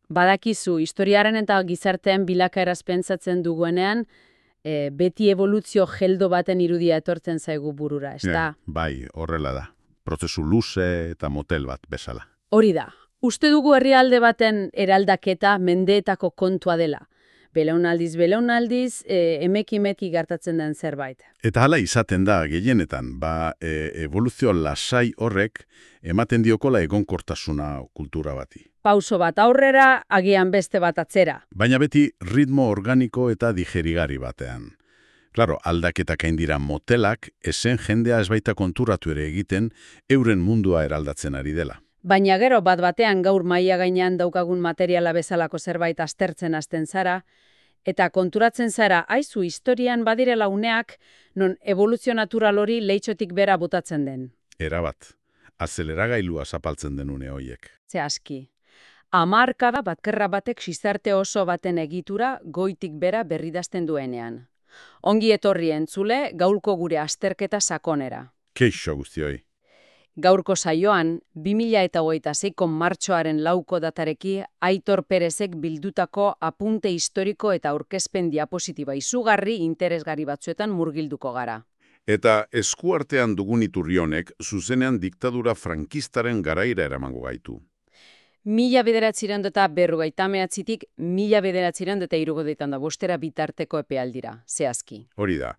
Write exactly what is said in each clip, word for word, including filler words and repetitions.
Badakizu, historiaren eta gizartean bilakaeraz pentsatzen duguenean, e, beti evoluzio geldo baten irudia etortzen zaigu burura, ez da? Eh, bai, horrela da. Prozesu luze eta motel bat bezala. Hori da. Uste dugu herrialde baten eraldaketa mendeetako kontua dela. Belaunaldiz, belaunaldiz, e, emeki-meki gertatzen den zerbait. Eta hala izaten da, gehienetan, ba, e, evoluzio lasai horrek ematen diokola egonkortasuna kultura bati. Pauso bat aurrera, agian beste bat atzera. Baina beti ritmo organiko eta digerigari batean. Klaro, aldaketak hain dira motelak, esen jendea ez baita konturatu ere egiten, euren mundua eraldatzen ari dela. Baina gero bat batean gaur maila gainean daukagun materiala bezalako zerbait aztertzen hasten zara, eta konturatzen zara, aizu historian badirela uneak, non evoluzio natural hori leitxotik bera botatzen den. Erabat, azeleragailua zapaltzen den une hoiek. Ze aski. Hamarkada batkerra batek gizarte oso baten egitura goitik bera berridazten duenean. Ongi etorri entzule, gaurko gure azterketa sakonera. Keixo guztioi. Gaurko saioan, bi mila hogeita seiko martxoaren lauko datareki Aitor Perezek bildutako apunte historiko eta aurkezpen diapositiba izugarri interesgarri batzuetan murgilduko gara. Eta eskuartean dugun iturri honek zuzenean diktadura frankistaren garaira eramango gaitu. Mila bederatzireun eta berrogeita mehatzitik mila bederatzireun eta hirurogeita bostera bitarteko epealdira, zehazki. Hori da.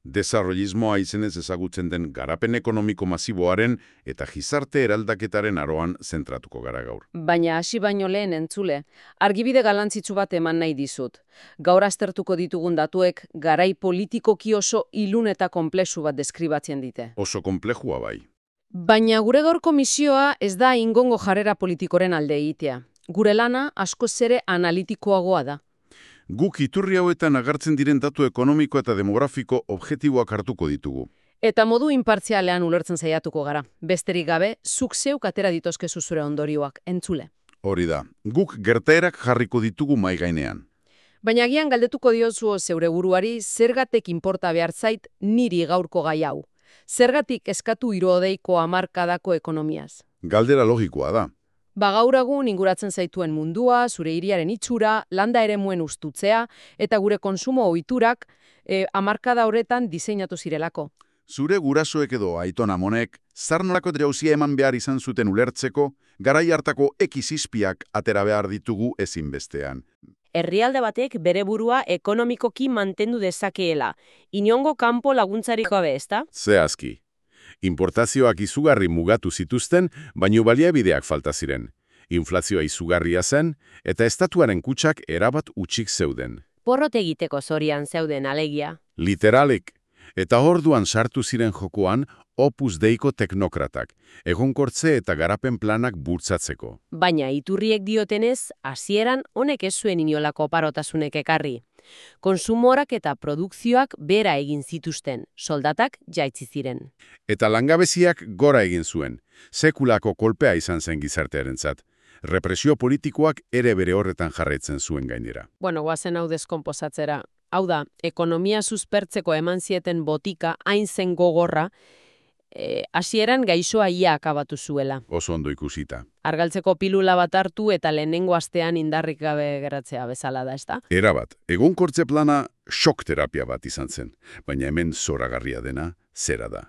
Desarrollismoa izenez ezagutzen den garapen ekonomiko masiboaren eta gizarte eraldaketaren aroan zentratuko gara gaur. Baina hasi baino lehen entzule, argibide galantzitsu bat eman nahi dizut. Gaur aztertuko ditugun datuek garai politikoki oso ilun eta konplexu bat deskribatzen dite. Oso konplexua bai. Baina gure gaurko misioa ez da ingongo jarrera politikoren alde egitea. Gure lana askoz ere analitikoagoa da. Guk iturri hauetan agertzen diren datu ekonomiko eta demografiko objektiboak hartuko ditugu. Eta modu inpartzialean ulertzen saiatuko gara. Besterik gabe, zuk zeuk atera ditozkezu zure ondorioak, entzule. Hori da, guk gertaerak jarriko ditugu mai gainean. Baina agian galdetuko diozu zeure buruari zergatik inporta behar zait niri gaurko gai hau. Zergatik eskatu hirurogeiko hamarkadako ekonomiaz. Galdera logikoa da. Ba gaur egun inguratzen zaituen mundua, zure hiriaren itxura, landa eremuen ustutzea eta gure konsumo ohiturak e, hamarkada horretan diseinatu zirelako. Zure gurasoek edo aiton amonek, zarnolako jauzia eman behar izan zuten ulertzeko, garai hartako ekizizpiak atera behar ditugu ezinbestean. Herrialde batek bere burua ekonomikoki mantendu dezakeela, inongo kanpo laguntzarik gabe, ezta? Zehazki. Importazioak izugarri mugatu zituzten, baino baliabideak falta ziren. Inflazioa izugarria zen, eta estatuaren kutsak erabat utxik zeuden. Porrot egiteko zorian zeuden alegia. Literalik. Eta orduan sartu ziren jokoan Opus Deiko teknokratak, egonkortze eta garapen planak bultzatzeko. Baina iturriek diotenez, hasieran honek ez zuen inolako parotasunek ekarri. Konsumorak eta produkzioak bera egin zituzten, soldatak jaitsi ziren. Eta langabeziak gora egin zuen, sekulako kolpea izan zen gizartearentzat. Represio politikoak ere bere horretan jarraitzen zuen gainera. Bueno, guazen hau deskonposatzera. Hau da, ekonomia suspertzeko eman zieten botika hain zen gogorra, hasieran e, gaixoa ia akabatu zuela. Oso ondo ikusita. Argaltzeko pilula bat hartu eta lehenengo astean indarrik gabe geratzea bezala da, ezta? Erabat, egonkortze plana shock terapia bat izan zen, baina hemen zoragarria dena zera da.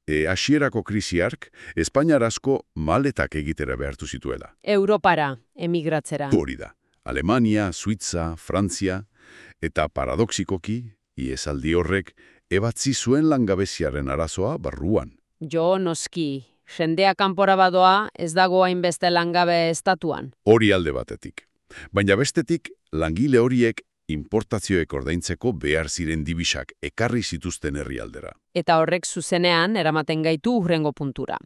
E, hasierako krisiark, Espainiar asko maletak egitera behartu zituela. Europara, emigratzera. Hori da. Alemania, Suitza, Frantzia, eta paradoxikoki, iesaldi horrek, ebatzi zuen langabeziaren arazoa barruan. Jo, noski, jendea kanpora badoa ez dago hainbeste langabe estatuan. Hori alde batetik. Baina bestetik, langile horiek importazioek ordaintzeko behar ziren dibisak ekarri zituzten herrialdera. Eta horrek zuzenean eramaten gaitu hurrengo puntura.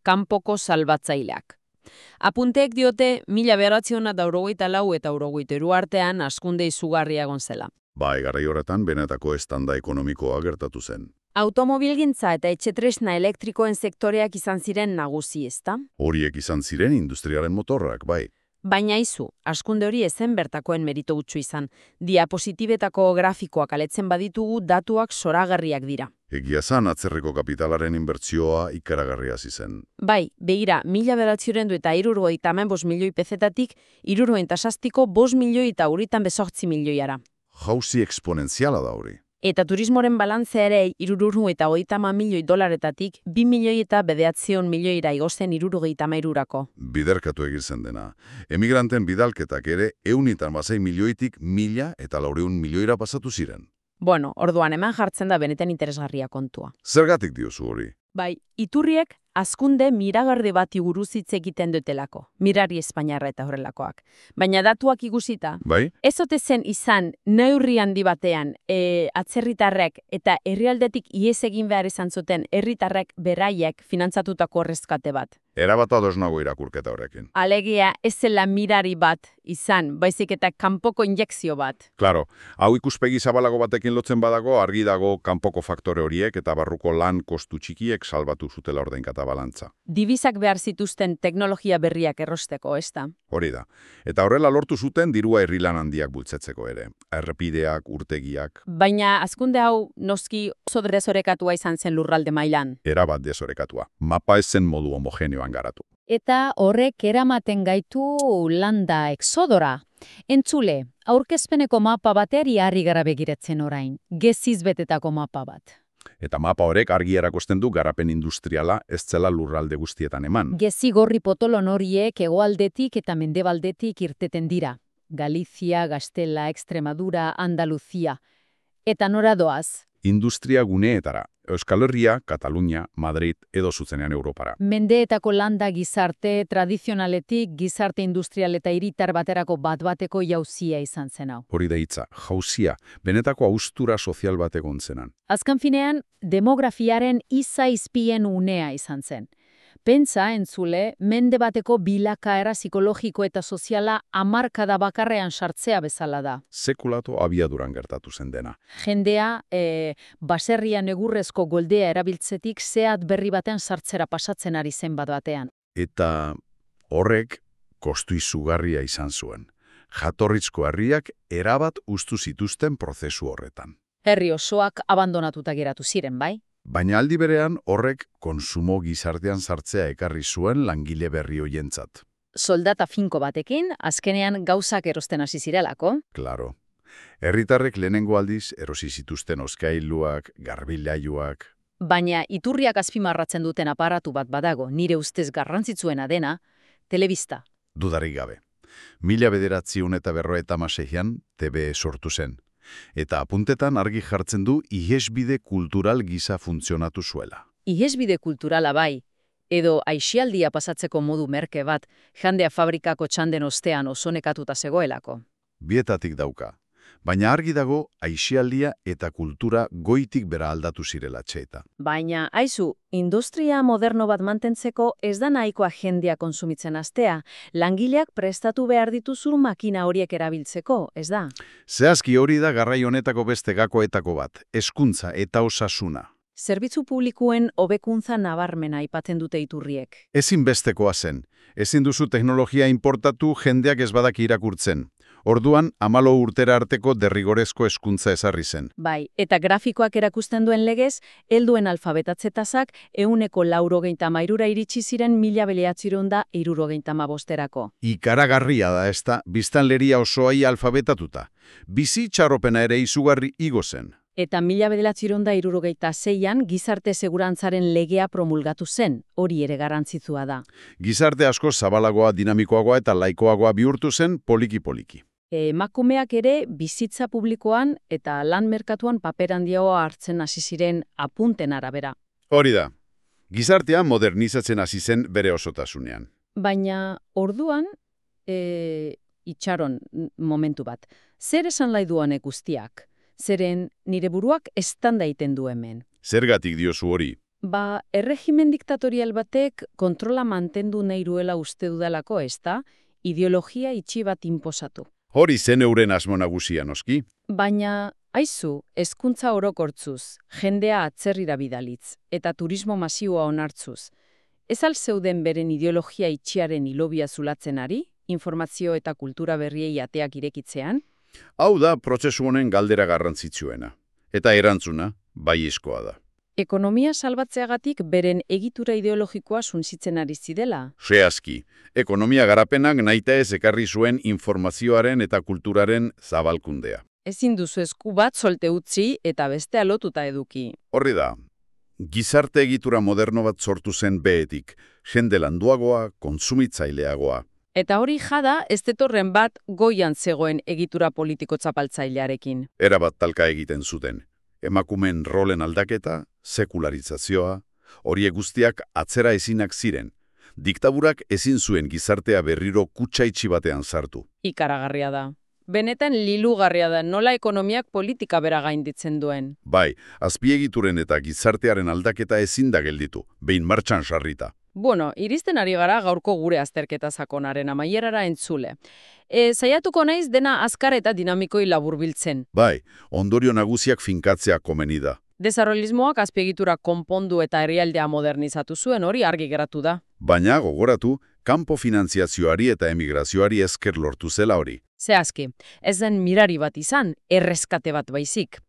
Kanpoko salbatzaileak. Apunteek diote mila bederatziehun eta laurogeita lau eta laurogeita hiru artean hazkunde izugarria egon zela. Bai, garai horretan benetako estanda ekonomikoa gertatu zen. Automobilgintza eta etxetresna elektrikoen sektoreak izan ziren nagusi, ezta? Horiek izan ziren industriaren motorrak, bai. Baina izu, askunde hori ezen bertakoen merito gutxu izan. Diapositibetako grafikoak aletzen baditugu datuak zoragarriak dira. Egia zan atzerriko kapitalaren inbertsioa ikaragarria zen. Bai, begira, mila bederatziren du eta hirurogei hemen bost milioi pezetatik, hirurogei tasastiko bost milioi eta uritan bezortzi milioiara. Jauzi eksponentziala da hori. Eta turismoren balantzea ere hirurogei eta hogeita hamar milioi dolaretatik bi milioi eta bederatziehun milioira igozen hirurogei hamairurako. Biderkatu egiten dena. Emigranten bidalketak ere ehun hamasei milioitik mila eta laurehun milioira pasatu ziren. Bueno, orduan hemen jartzen da benetan interesgarria kontua. Zergatik diozu hori? Bai, iturriek hazkunde miragarri bati buruz hitz egiten dutelako, mirari espainiarra eta horrelakoak. Baina datuak ikusita, Bai? ez ote zen izan neurri handi batean e, atzerritarrek eta herrialdetik ihes egin behar izan zuten herritarrek beraiek finantzatutako erreskate bat. Erabat ados nago irakurketa horrekin. Alegia ez zela mirari bat izan, baizik eta kanpoko injekzio bat. Claro, hau ikuspegi zabalago batekin lotzen badago, argi dago kanpoko faktore horiek eta barruko lan kostu txikiek salbatu zutela ordainkata balantza. Dibisak behar zituzten teknologia berriak errosteko, ez da? Hori da. Eta horrela lortu zuten dirua herrilan handiak bultzatzeko ere. Errepideak, urtegiak. Baina hazkunde hau noski oso desorekatua izan zen lurralde mailan. Erabat desorekatua. Mapa ez zen modu homogeneoan garatu. Eta horrek eramaten gaitu landa exodora. Entzule, aurkezpeneko mapa bateari harri gara begiratzen orain. Geziz betetako mapa bat. Eta mapa horrek argi erakusten du garapen industriala ez zela lurralde guztietan eman. Gezi gorri potolon horiek hegoaldetik eta mendebaldetik irteten dira. Galizia, Gaztela, Extremadura, Andaluzia. Eta nora doaz? Industria guneetara. Euskal Herria, Katalunia, Madrid edo zuzenean Europara. Mendeetako landa gizarte tradizionaletik gizarte industrial eta hiritar baterako bat-bateko jauzia izan zen hau. Hori da hitza, jauzia, benetako haustura sozial bat egon zenan. Azken finean, demografiaren izaizpien unea izan zen. Pentsa, entzule, mende bateko bilakaera psikologiko eta soziala hamarkada bakarrean sartzea bezala da. Sekulato abiaduran gertatu zen dena. Jendea, e, baserrian egurrezko goldea erabiltzetik zehat berri batean sartzera pasatzen ari zen bat batean. Eta horrek kostu izugarria izan zuen. Jatorrizko herriak erabat ustu zituzten prozesu horretan. Herri osoak abandonatuta geratu ziren, bai? Baina aldi berean horrek konsumo gizartean sartzea ekarri zuen langile berri hoientzat. Soldata finko batekin, azkenean gauzak erosten hasi zirelako. Claro. Herritarrek lehenengo aldiz erosi zituzten oskailuak, garbilailuak. Baina iturriak azpimarratzen duten aparatu bat badago, nire ustez garrantzitsuena dena, telebista. Dudarik gabe. Mila bederatziehun eta berrogeita hamaseian T B sortu zen. Eta apuntetan argi jartzen du ihesbide kultural gisa funtzionatu zuela. Ihesbide kulturala bai, edo aisialdia pasatzeko modu merke bat, jandea fabrikako txanden ostean oso nekatuta zegoelako. Bietatik dauka. Baina argi dago aisialdia eta kultura goitik bera aldatu zirela txeta. Baina, aizu, industria moderno bat mantentzeko ez da nahikoa jendea konsumitzen hastea. Langileak prestatu behar dituzu makina horiek erabiltzeko, ez da? Zehazki hori da garrai honetako beste gakoetako bat, hezkuntza eta osasuna. Zerbitzu publikoen hobekuntza nabarmena aipatzen dute iturriek. Ezinbestekoa zen. Ezin duzu teknologia importatu jendeak ez badak irakurtzen. Orduan, amalo urtera arteko derrigorezko hezkuntza ezarri zen. Bai, eta grafikoak erakusten duen legez, helduen alfabetatze-tasak ehuneko laurogeita hamairura iritsi ziren mila bederatziehun eta hirurogeita hamabosterako. Ikaragarria da ezta, biztanleria osoai alfabetatuta. Bizi txarropena ere izugarri igo zen. Eta mila bederatziehun eta hirurogeita seian gizarte segurantzaren legea promulgatu zen, hori ere garrantzitsua da. Gizarte asko zabalagoa, dinamikoagoa eta laikoagoa bihurtu zen poliki-poliki. Emakumeak ere bizitza publikoan eta lan merkatuan paper handiagoa hartzen hasi ziren apunten arabera. Hori da. Gizartea modernizatzen hasi zen bere osotasunean. Baina orduan, e, itxaron momentu bat, zer esan nahi du honek guztiak? Zeren nire buruak estanda egiten du hemen. Zergatik diozu hori? Ba, erregimen diktatorial batek kontrola mantendu nahi duela uste dudalako, ez da, ideologia itxi bat inposatu. Hori zen euren asmo nagusia noski. Baina, aizu, hezkuntza orokortzuz, jendea atzerrira bidalitz, eta turismo masioa onartzuz. Ez al zeuden beren ideologia itxiaren hilobia zulatzen ari? informazio eta kultura berriei ateak irekitzean? Hau da prozesu honen galdera garrantzitsuena. Eta erantzuna, baiezkoa da. Ekonomia salbatzeagatik beren egitura ideologikoa suntsitzen ari zidela. Zehazki, ekonomia garapenak nahita ez ekarri zuen informazioaren eta kulturaren zabalkundea. Ezin duzu esku bat solte utzi eta bestea lotuta eduki. Horri da, gizarte egitura moderno bat sortu zen behetik, jende landuagoa, kontsumitzaileagoa. Eta hori jada, ez detorren bat goian zegoen egitura politiko txapaltzailearekin. Erabat talka egiten zuten. Emakumeen rolen aldaketa, sekularizazioa, horiek guztiak atzera ezinak ziren. Diktaburak ezin zuen gizartea berriro kutsaitxi batean sartu. Ikaragarria da. Benetan lilugarria da nola ekonomiak politika bera gainditzen duen. Bai, azpiegituren eta gizartearen aldaketa ezin da gelditu, behin martxan sarrita. Bueno, iristen ari gara gaurko gure azterketa sakonaren amaierara entzule. E, saiatuko naiz dena azkar eta dinamikoi laburbiltzen. Bai, ondorio nagusiak finkatzea komeni da. Desarrollismoak azpiegitura konpondu eta herrialdea modernizatu zuen hori argi geratu da. Baina gogoratu, kanpo finantziazioari eta emigrazioari esker lortu zela hori. Zehazki, ez zen mirari bat izan, erreskate bat baizik.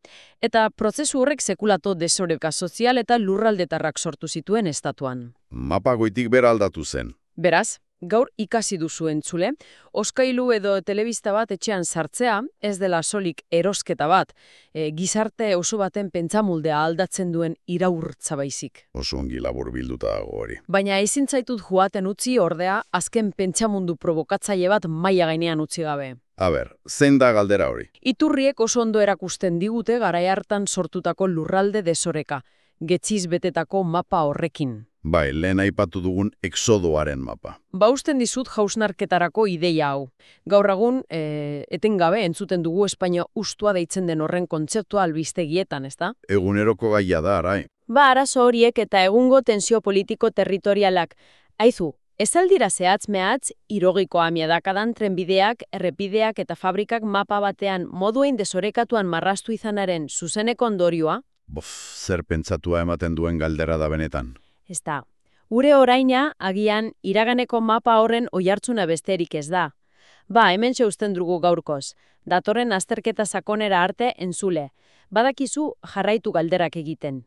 Eta prozesu horrek sekulato desoreka sozial eta lurraldetarrak sortu zituen estatuan. Mapa goitik bera aldatu zen. Beraz, gaur ikasi duzu entzule, oskailu edo telebista bat etxean sartzea, ez dela solik erosketa bat, e, gizarte oso baten pentsamuldea aldatzen duen iraurtza baizik. Oso ongi labur bilduta dago hori. Baina ezin zaitut joaten utzi ordea, azken pentsamundu provokatzaile bat maila gainean utzi gabe. A ber, zein da galdera hori? Iturriek oso ondo erakusten digute garai hartan sortutako lurralde desoreka, getziz betetako mapa horrekin. Bai, lehen aipatu dugun exodoaren mapa. Ba usten dizut jausnarketarako ideia hau. Gaur egun, e, etengabe entzuten dugu Espainia ustua deitzen den horren kontzeptua albistegietan, ezta? Eguneroko gaia da, arai. Ba, arazo horiek eta egungo tensio politiko territorialak. Aizu, ez aldira zehatz mehatz, irogiko amiadakadan trenbideak, errepideak eta fabrikak mapa batean moduein desorekatuan marrastu izanaren zuzeneko ondorioa? Bof, zer pentsatua ematen duen galdera da benetan. Ez da, ure oraina agian iraganeko mapa horren oihartzuna besterik ez da. Ba, hemen uzten dugu gaurkoz, datorren azterketa sakonera arte entzule. Badakizu jarraitu galderak egiten.